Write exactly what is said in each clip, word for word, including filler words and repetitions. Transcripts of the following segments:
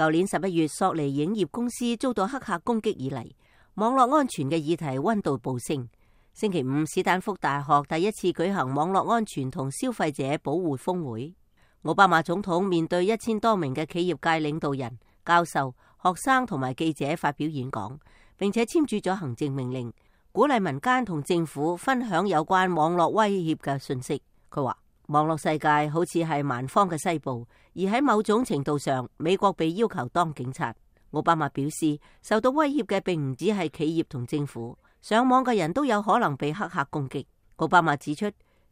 舊年十一月，索尼影業公司遭到黑客攻擊以嚟，網絡安全嘅議題溫度暴升。星期五，史丹福大學第一次舉行網絡安全同消費者保護峰會。奧巴馬總統面對一千多名嘅企業界領導人、教授、學生同埋記者發表演講，並且簽署咗行政命令，鼓勵民間同政府分享有關網絡威脅嘅信息。佢話，網絡世界好似係蠻荒嘅西部，而喺某種程度上，美國被要求當警察。奧巴馬表示，受到威脅嘅並唔止係企業同政府，上網嘅人都有可能被黑客攻擊。奧巴馬指出，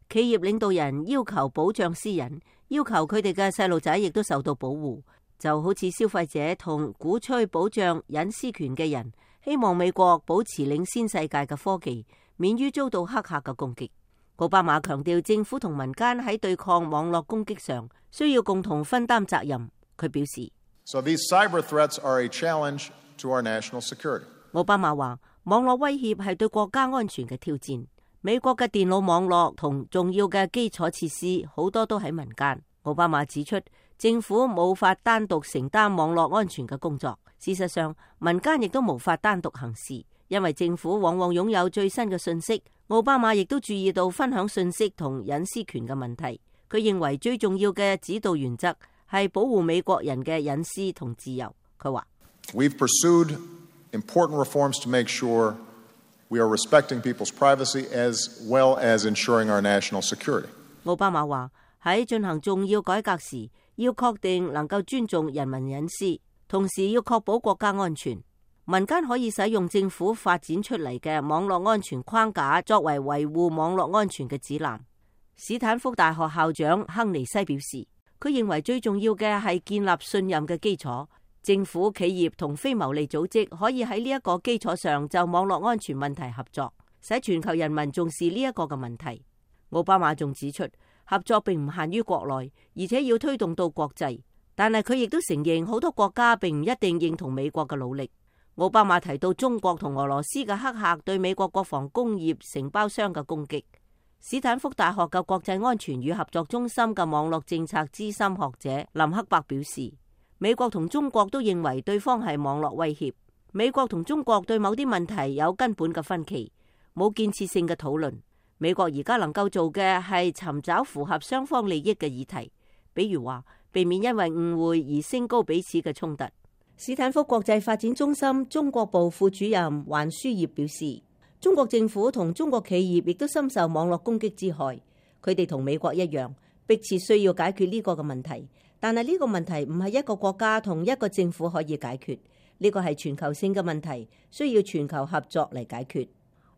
企業領導人要求保障私隱，要求佢哋嘅細路仔亦都受到保護，就好似消費者同鼓吹保障隱私權嘅人，希望美國保持領先世界嘅科技，免於遭到黑客嘅攻擊。奧巴馬強調，政府同民間喺對抗網絡攻擊上需要共同分擔責任。佢表示， So these cyber threats are a challenge to our national security. 奧巴馬話，網絡威脅係對國家安全嘅挑戰。美國嘅電腦網絡同重要嘅基礎設施好多都喺民間。奧巴馬指出，政府無法單獨承擔網絡安全嘅工作。事實上，民間亦都無法單獨行事，因為政府往往擁有最新嘅信息。奧巴馬亦都注意到分享信息同隱私權嘅問題。佢認為最重要嘅指導原則係保護美國人嘅隱私同自由。佢話， We've pursued important reforms to make sure we are respecting people's privacy as well as ensuring our national security. 奧巴馬話，喺進行重要改革時，要確定能夠尊重人民隱私，同時要確保國家安全。民間可以使用政府發展出嚟嘅網絡安全框架作為維護網絡安全嘅指南。史坦福大學校長亨尼西表示，佢認為最重要嘅係建立信任嘅基礎。政府、企業同非牟利組織可以喺呢一個基礎上就網絡安全問題合作，使全球人民重視呢一個嘅問題。奧巴馬仲指出，合作並唔限於國內，而且要推動到國際。但係佢亦都承認，好多國家並唔一定認同美國嘅努力。奧巴馬提到中國同俄羅斯嘅黑客對美國國防工業承包商嘅攻擊。史坦福大學嘅國際安全與合作中心嘅網絡政策資深學者林克伯表示，美國同中國都認為對方係網絡威脅。美國同中國對某啲問題有根本嘅分歧，冇建設性嘅討論。美國而家能夠做嘅係尋找符合雙方利益嘅議題，比如話避免因為誤會而升高彼此嘅衝突。史坦福國際發展中心中國部副主任環書業表示，中國政府同中國企業亦都深受網絡攻擊之害。佢哋同美國一樣，迫切需要解決呢個嘅問題。但係呢個問題唔係一個國家同一個政府可以解決，呢個係全球性嘅問題，需要全球合作嚟解決。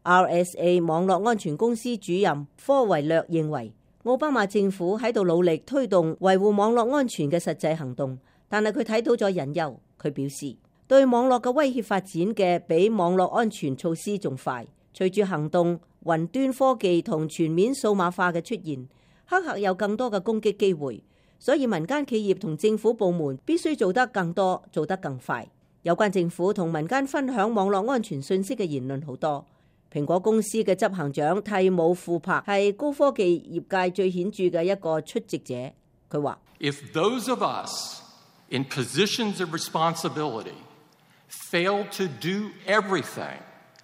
R S A 網絡安全公司主任科維略認為，奧巴馬政府喺度努力推動維護網絡安全嘅實際行動，但係佢睇到咗隱憂。佢表示，對網絡嘅威脅發展嘅比網絡安全措施仲快。隨住行動、雲端科技同全面數碼化嘅出現，黑客有更多嘅攻擊機會，所以民間企業同政府部門必須做得更多，做得更快。有關政府同民間分享網絡安全信息嘅言論好多。蘋果公司嘅執行長蒂姆庫珀係高科技業界最顯著嘅一個出席者。佢話：If those of us in positions of responsibility fail to do everything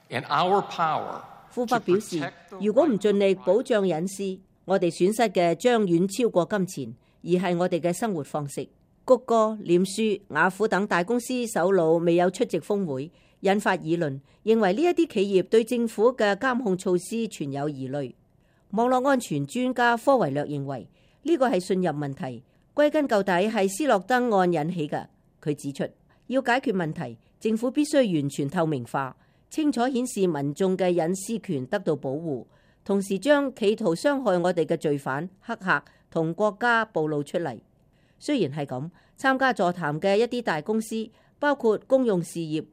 in our power， 庫珀表示，如果唔盡力保障隱私，我哋損失嘅將遠超過金錢，而係我哋嘅生活方式。谷歌、臉書、雅虎等大公司首腦未有出席峰會，引發議論，認為呢一啲企業對政府嘅監控措施存有疑慮。網絡安全專家科維略認為呢個係信任問題，歸根究底係斯諾登案引起嘅。佢指出，要解決問題，政府必須完全透明化，清楚顯示民眾嘅隱私權得到保護，同時將企圖傷害我哋嘅罪犯、黑客同國家暴露出嚟。雖然係咁，參加座談嘅一啲大公司，包括公用事業、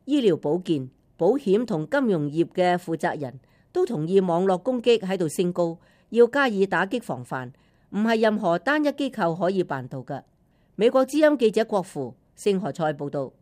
醫療保健、保險同金融業嘅負責人都同意網絡攻擊喺度升高，要加以打擊防範，唔係任何單一機構可以辦到嘅。美國之音記者郭芙，聖何塞報道。